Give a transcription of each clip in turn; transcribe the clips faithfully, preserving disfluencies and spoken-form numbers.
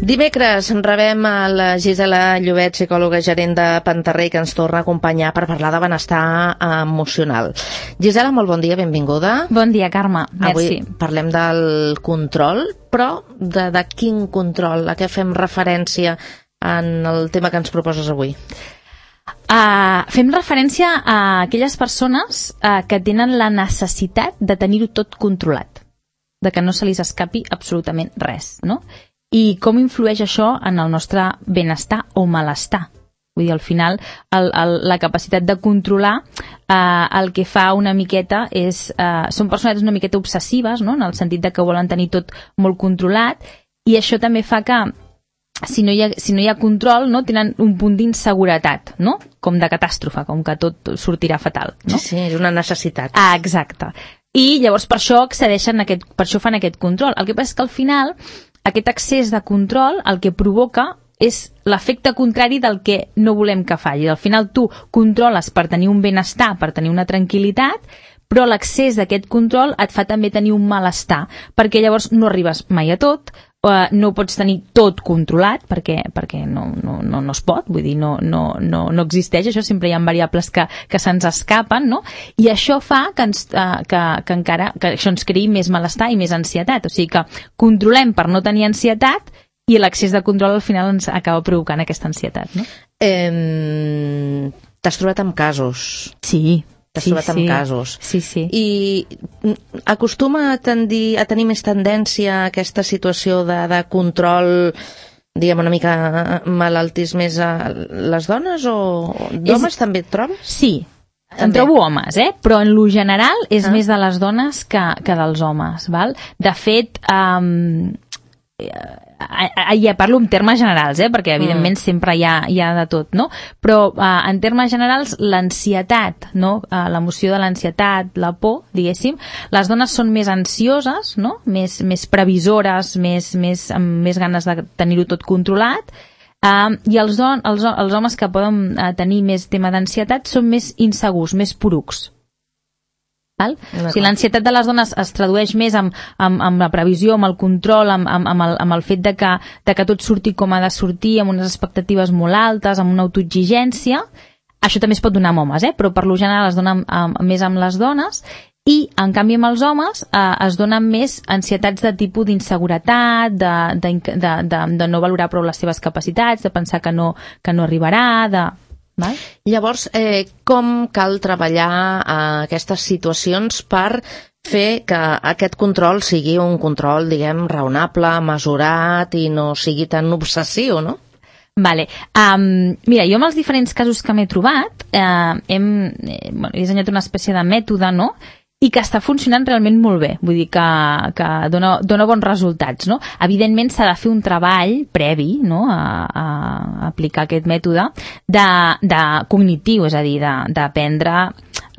Dimecres rebem a la Gisela Llobet, psicòloga gerent de Pantarrey, que ens torna a acompanyar per parlar de benestar emocional. Gisela, molt bon dia, benvinguda. Bon dia, Carme, merci. Avui parlem del control, però de, de quin control? A què fem referència en el tema que ens proposes avui? Uh, fem referència a aquelles persones uh, que tenen la necessitat de tenir-ho tot controlat, de que no se li escapi absolutament res, no? I com influeix això en el nostre benestar o malestar. Vull dir, al final, el, el, la capacitat de controlar eh, el que fa una miqueta és... Eh, són persones una miqueta obsessives, no? En el sentit de que volen tenir tot molt controlat, i això també fa que, si no hi ha, si no hi ha control, no? Tenen un punt d'inseguretat, no? Com de catàstrofe, com que tot sortirà fatal, no? Sí, sí, és una necessitat. Ah, exacte. I llavors per això accedeixen a aquest, per això fan aquest control. El que passa és que al final aquest excés de control el que provoca és l'efecte contrari del que no volem que faci. Al final tu controles per tenir un benestar, per tenir una tranquil·litat, però l'excés d'aquest control et fa també tenir un malestar, perquè llavors no arribes mai a tot, eh, no pots tenir tot controlat, perquè, perquè no, no, no, no es pot, vull dir, no, no, no, no existeix, això sempre hi ha variables que, que se'ns escapen, no? I això fa que, ens, eh, que, que encara que això ens creï més malestar i més ansietat, o sigui que controlem per no tenir ansietat, i l'excés de control al final ens acaba provocant aquesta ansietat, no? Eh, T'has trobat amb casos? Sí. T'has sí, trobat sí. amb casos. Sí, sí. I acostuma a, tendir, a tenir més tendència a aquesta situació de, de control, diguem, una mica malaltis més a les dones, o d'homes és... també et trobes? Sí. També. En trobo homes, eh? Però en lo general és ah. més de les dones que, que dels homes, val? De fet, um, ja parlo en termes generals, eh? Perquè evidentment mm. sempre hi ha, hi ha de tot, no? Però uh, en termes generals l'ansietat, no? Uh, l'emoció de l'ansietat, la por, diguéssim, les dones són més ansioses, no? Més, més previsores, més, més, amb més ganes de tenir-ho tot controlat. Uh, i els, don, els, els homes que poden uh, tenir més tema d'ansietat són més insegurs, més porucs. Val? O sigui, l'ansietat de les dones es tradueix més amb, amb, amb la previsió, amb el control, amb, amb, amb, el, amb el fet de que, de que tot surti com ha de sortir, amb unes expectatives molt altes, amb una autoexigència. Això també es pot donar amb homes, eh? Però per lo general es dona amb, amb, més amb les dones. I, en canvi, amb els homes eh, es donen més ansietats de tipus d'inseguretat, de, de, de, de, de no valorar prou les seves capacitats, de pensar que no, que no arribarà, de... Val? Llavors, eh, com cal treballar eh, aquestes situacions per fer que aquest control sigui un control, diguem, raonable, mesurat i no sigui tan obsessiu, no? Vale. Um, mira, jo amb els diferents casos que m'he trobat eh, hem, eh, bueno, he dissenyat una espècie de mètode, no?, i que està funcionant realment molt bé, vull dir que, que dona, dona bons resultats, no? Evidentment s'ha de fer un treball previ, no?, a, a aplicar aquest mètode de, de cognitiu, és a dir, d'aprendre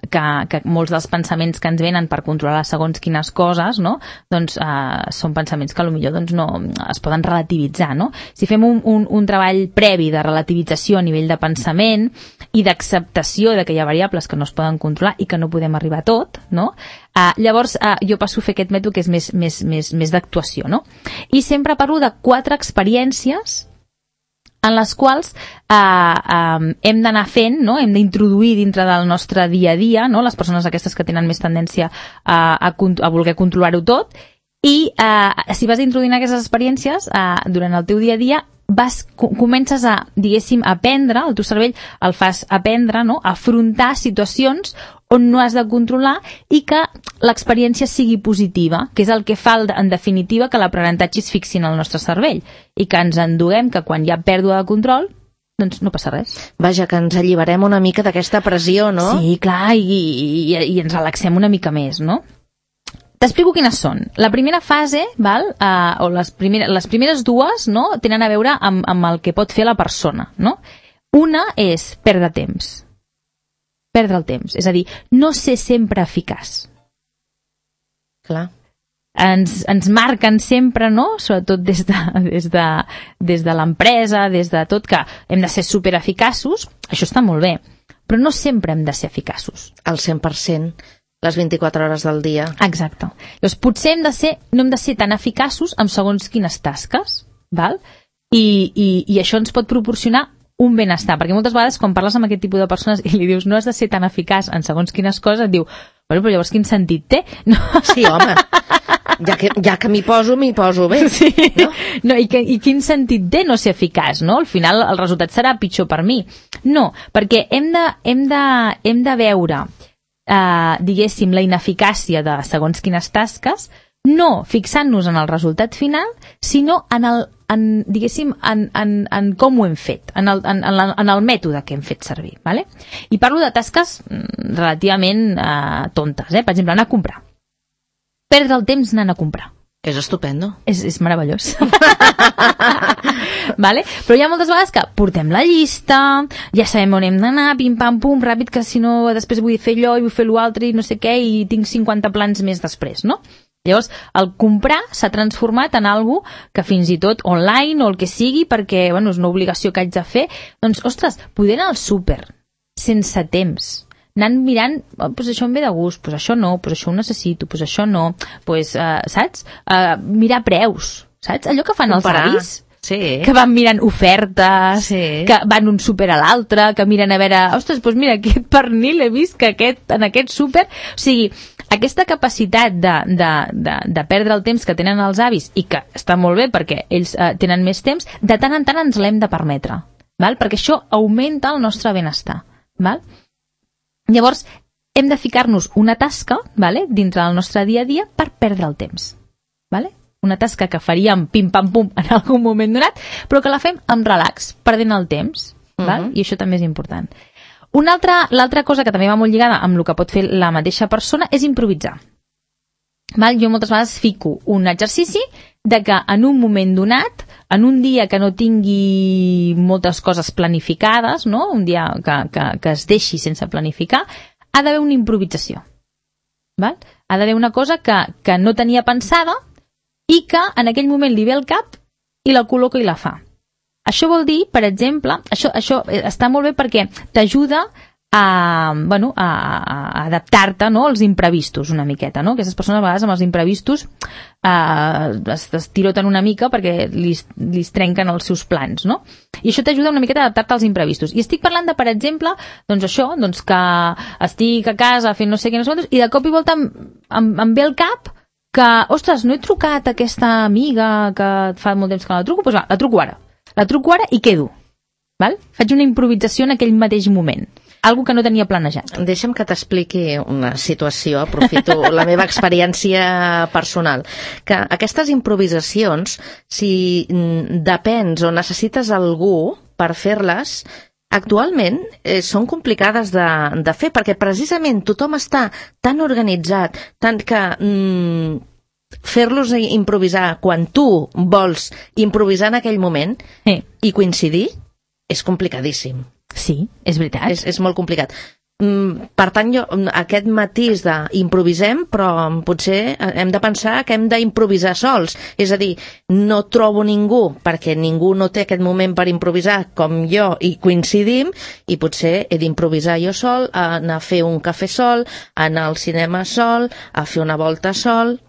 que, que molts dels pensaments que ens venen per controlar segons quines coses, no?, doncs eh, són pensaments que potser doncs, no, es poden relativitzar, no? Si fem un, un, un treball previ de relativització a nivell de pensament i d'acceptació de que hi ha variables que no es poden controlar i que no podem arribar a tot, no?, eh, llavors eh, jo passo a fer aquest mètode que és més, més, més, més d'actuació, no? I sempre parlo de quatre experiències en les quals eh, eh, hem d'anar fent, no? Hem d'introduir dintre del nostre dia a dia, no? Les persones aquestes que tenen més tendència a, a, a voler controlar-ho tot, i eh, si vas introduint aquestes experiències eh, durant el teu dia a dia, vas, comences a, diguéssim, aprendre, el teu cervell el fas aprendre, no?, a afrontar situacions on no has de controlar i que l'experiència sigui positiva, que és el que fa, en definitiva, que l'aprenentatge es fixi en el nostre cervell i que ens enduguem que quan hi ha pèrdua de control, doncs no passa res. Vaja, que ens alliberem una mica d'aquesta pressió, no? Sí, clar, i, i, i ens relaxem una mica més, no? T'explico quines són. La primera fase, val, uh, o les primeres, les primeres dues, no?, tenen a veure amb, amb el que pot fer la persona, no? Una és perdre temps. Perdre el temps. És a dir, no ser sempre eficaç. Clar. Ens, ens marquen sempre, no?, sobretot des de, des de, des de l'empresa, des de tot, que hem de ser supereficaços. Això està molt bé, però no sempre hem de ser eficaços. Al cent per cent. Les vint-i-quatre hores del dia. Exacte. Llavors, potser hem de ser, no hem de ser tan eficaços amb segons quines tasques, val? i, i, i això ens pot proporcionar un benestar, perquè moltes vegades quan parles amb aquest tipus de persones i li dius no has de ser tan eficaç en segons quines coses, et diu, bueno, però llavors quin sentit té? No. Sí, home, ja que, ja que m'hi poso, m'hi poso bé. Sí. No? No, i, que, I quin sentit té no ser eficaç, no? Al final el resultat serà pitjor per mi. No, perquè hem de, hem de, hem de veure, eh, diguéssim, la ineficàcia de segons quines tasques, no fixant-nos en el resultat final, sinó en el, en, diguéssim, en, en, en com ho hem fet, en el, en, en, en el mètode que hem fet servir. ¿Vale? I parlo de tasques relativament eh, tontes, eh? Per exemple, anar a comprar. Perdre el temps anant a comprar. És estupendo. És, és meravellós. Vale? Però hi ha moltes vegades que portem la llista, ja sabem on hem d'anar, pim-pam-pum, ràpid, que si no després vull fer allò i vull fer l'altre i no sé què, i tinc cinquanta plans més després, no? Llavors, el comprar s'ha transformat en algo que fins i tot online o el que sigui, perquè bueno, és una obligació que haig de fer, doncs, ostres, poder anar al súper sense temps, anant mirant, oh, pues això em ve de gust, pues això no, pues això ho necessito, pues això no, pues, uh, saps? Uh, mirar preus, saps? Allò que fan Comparar. Els avis, sí. que van mirant ofertes, sí. que van un súper a l'altre, que miren a veure, ostres, doncs mira, aquest pernil he vist que aquest, en aquest súper... O sigui, aquesta capacitat de, de, de, de perdre el temps que tenen els avis, i que està molt bé perquè ells eh, tenen més temps, de tant en tant ens l'hem de permetre, val? Perquè això augmenta el nostre benestar. Val? Llavors, hem de ficar-nos una tasca, vale, dintre del nostre dia a dia per perdre el temps. Vale? Una tasca que faríem pim-pam-pum en algun moment donat, però que la fem amb relax, perdent el temps. Uh-huh. Val? I això també és important. Una altra, l'altra cosa que també va molt lligada amb el que pot fer la mateixa persona és improvisar. Val? Jo moltes vegades fico un exercici de que en un moment donat, en un dia que no tingui moltes coses planificades, no? Un dia que, que, que es deixi sense planificar, ha d'haver una improvisació. Val? Ha d'haver una cosa que, que no tenia pensada i que en aquell moment li ve al cap i la col·loca i la fa. Això vol dir, per exemple, això, això està molt bé perquè t'ajuda a, bueno, a, a adaptar-te, no, als imprevistos una miqueta, no? Aquestes persones a vegades amb els imprevistos eh, es, es tiroten una mica perquè li trenquen els seus plans, no? I això t'ajuda una miqueta a adaptar-te als imprevistos. I estic parlant de, per exemple, doncs això, doncs que estic a casa fent no sé què, no sé quantos, i de cop i volta em, em, em ve al cap que, ostres, no he trucat a aquesta amiga que fa molt temps que la truco, doncs va, la truco ara. La truco ara i quedo. Val? Faig una improvisació en aquell mateix moment. Algo que no tenia planejat. Deixa'm que t'expliqui una situació, aprofito la meva experiència personal. Que aquestes improvisacions, si depens o necessites algú per fer-les, actualment eh, són complicades de, de fer, perquè precisament tothom està tan organitzat, tant que... Mm, fer-los improvisar quan tu vols improvisar en aquell moment sí. i coincidir és complicadíssim. Sí, és veritat. És, és molt complicat. Mm, per tant, jo, aquest matís d'improvisem, però potser hem de pensar que hem d'improvisar sols. És a dir, no trobo ningú, perquè ningú no té aquest moment per improvisar com jo, i coincidim, i potser he d'improvisar jo sol, anar a fer un cafè sol, anar al cinema sol, a fer una volta sol...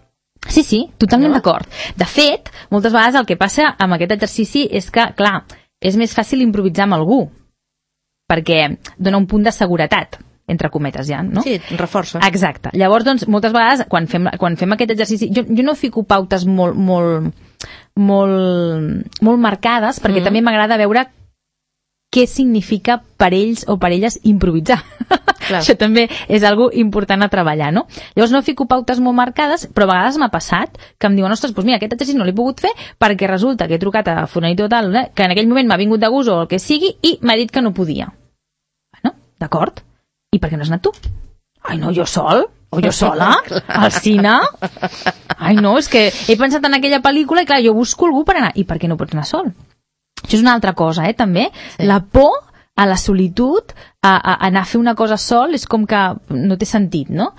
Sí, sí, totalment no? d'acord. De fet, moltes vegades el que passa amb aquest exercici és que, clar, és més fàcil improvisar amb algú, perquè dona un punt de seguretat, entre cometes ja, no? Sí, reforça. Exacte. Llavors, doncs, moltes vegades, quan fem, quan fem aquest exercici, jo, jo no fico pautes molt, molt, molt, molt marcades, perquè mm. també m'agrada veure què significa per ells o per elles improvisar. Clar. Això també és algo important a treballar, no? Llavors no fico pautes molt marcades, però a vegades m'ha passat que em diuen, ostres, doncs mira, aquest exercici no l'he pogut fer perquè resulta que he trucat a fulanito tal, que en aquell moment m'ha vingut de gust o el que sigui i m'ha dit que no podia. Bueno, d'acord. I per què no has anat tu? Ai, no, jo sol? O jo sola? Al cine? Ai, no, és que he pensat en aquella pel·lícula i clar, jo busco algú per anar. I per què no pots anar sol? Això és una altra cosa, eh, també. Sí. La por a la solitud, a, a anar a fer una cosa sol, és com que no té sentit, no?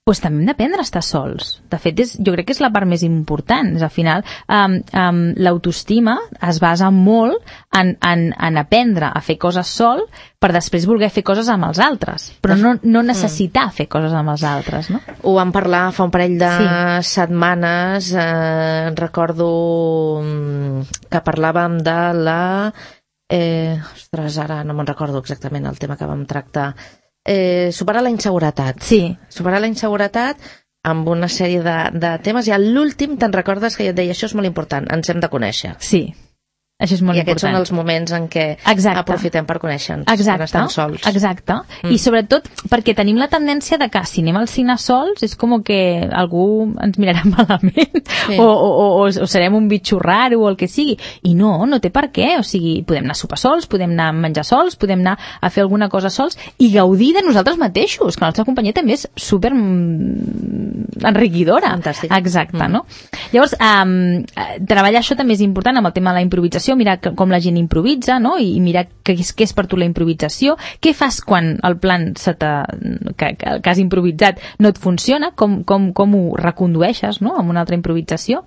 Doncs també hem d'aprendre a estar sols. De fet, és, jo crec que és la part més important. És, al final, um, um, l'autoestima es basa molt en, en, en aprendre a fer coses sol per després voler fer coses amb els altres. Però no, no necessitar mm. fer coses amb els altres, no? Ho vam parlar fa un parell de sí. setmanes. Eh, recordo que parlàvem de la... Eh, ostres, ara no me'n recordo exactament el tema que vam tractar. Eh, superar la inseguretat. Sí. Superar la inseguretat amb una sèrie de, de temes, i a l'últim te'n recordes que jo et deia, això és molt important, ens hem de conèixer. Sí. Això és molt I aquests important. són els moments en què Exacte. aprofitem per conèixer-nos, exacte. quan estem sols. Exacte. Mm. I sobretot perquè tenim la tendència de que si anem al cine sols és com que algú ens mirarà malament, sí. o, o, o, o serem un bitxo raro o el que sigui. I no, no té per què. O sigui, podem anar a sopar sols, podem anar a menjar sols, podem anar a fer alguna cosa sols i gaudir de nosaltres mateixos, que la nostra companyia també és super enriquidora. Fantàstic. Exacte, mm. no? Llavors, um, treballar això també és important amb el tema de la improvisació, mirar com la gent improvisa, no? I mirar què és, què és per tu la improvisació, què fas quan el plan se que, que has improvisat no et funciona, com, com, com ho recondueixes, no? Amb una altra improvisació.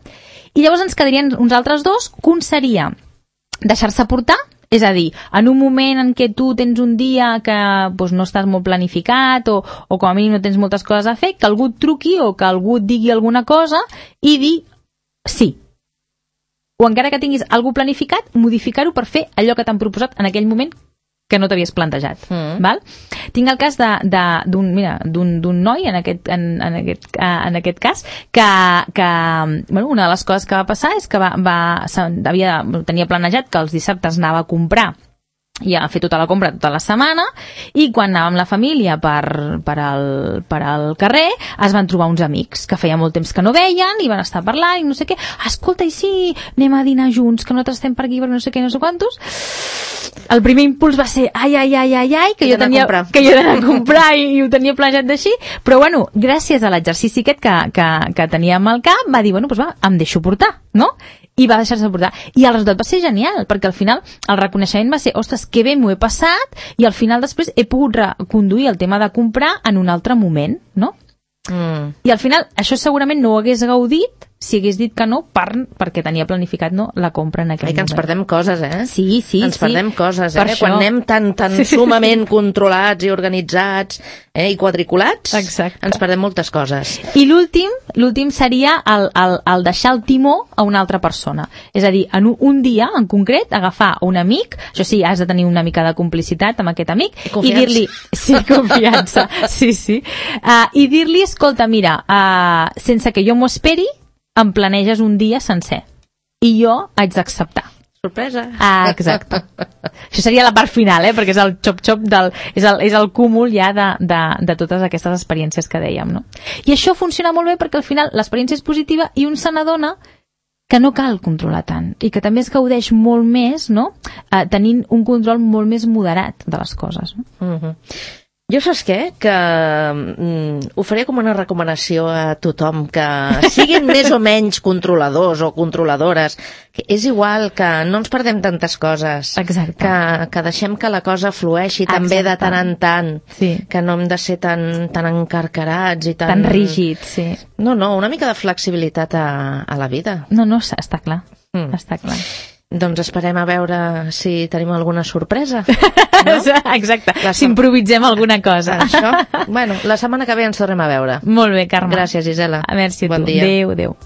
I llavors ens quedarien uns altres dos, que un seria deixar-se portar, és a dir, en un moment en què tu tens un dia que doncs, no estàs molt planificat o, o com a mínim no tens moltes coses a fer, que algú et truqui o que algú et digui alguna cosa i dir sí. O encara que tinguis alguna planificat, modificar-ho per fer allò que t'han proposat en aquell moment que no t'havies plantejat. Mm. Val? Tinc el cas de, de, d'un, mira, d'un, d'un noi, en aquest, en, en, aquest, en aquest cas, que, que bueno, una de les coses que va passar és que va, va, havia, tenia planejat que els dissabtes anava a comprar i a fer tota la compra tota la setmana, i quan anàvem la família per, per, al, per al carrer es van trobar uns amics que feia molt temps que no veien i van estar parlant i no sé què, escolta, i sí, anem a dinar junts, que nosaltres estem per aquí per no sé què, no sé quantos. El primer impuls va ser ai, ai, ai, ai, ai, que jo tenia que jo d'anar a comprar i, i ho tenia planejat d'així, però bueno, gràcies a l'exercici aquest que, que, que teníem al cap, va dir, bueno, doncs va, em deixo portar, no? I va deixar-se portar. I el resultat va ser genial, perquè al final el reconeixement va ser, ostres, que bé m'ho he passat, i al final després he pogut reconduir el tema de comprar en un altre moment, no? Mm. I al final això segurament no ho hagués gaudit si hagués dit que no per, perquè tenia planificat no, la compra en aquell Ai, que moment. ens perdem coses, eh? Sí, sí, ens sí. perdem coses, per eh? Això... Quan anem tan, tan sí, sumament controlats i organitzats eh? i quadriculats, exacte. Ens perdem moltes coses. I l'últim, l'últim seria el, el, el deixar el timó a una altra persona. És a dir, en un, un dia en concret, agafar un amic, això sí, has de tenir una mica de complicitat amb aquest amic, i, i dir-li... Sí, confiança, sí, sí. Uh, I dir-li, escolta, mira, uh, sense que jo m'ho esperi, em planeges un dia sencer i jo haig d'acceptar. Sorpresa. Ah, exacte. Això seria la part final, eh? Perquè és el xop-xop del... És el, és el cúmul ja de, de, de totes aquestes experiències que dèiem, no? I això funciona molt bé perquè al final l'experiència és positiva i un se n'adona que no cal controlar tant i que també es gaudeix molt més, no? Eh, tenint un control molt més moderat de les coses. No? Mm-hmm. Jo saps què? Que mm, ho faré com una recomanació a tothom, que siguin més o menys controladors o controladores, que és igual, que no ens perdem tantes coses. Exacte. Que, que deixem que la cosa flueixi també de tant en tant, sí. Que no hem de ser tan, tan encarcarats i tan... Tan rígids, sí. No, no, una mica de flexibilitat a, a la vida. No, no, està clar, mm. està clar. Doncs esperem a veure si tenim alguna sorpresa. No? Exacte, la... si improvisem alguna cosa. Això? Bueno, la setmana que ve ens tornem a veure. Molt bé, Carme. Gràcies, Gisela. Merci a bon tu. Dia. Adéu, adéu.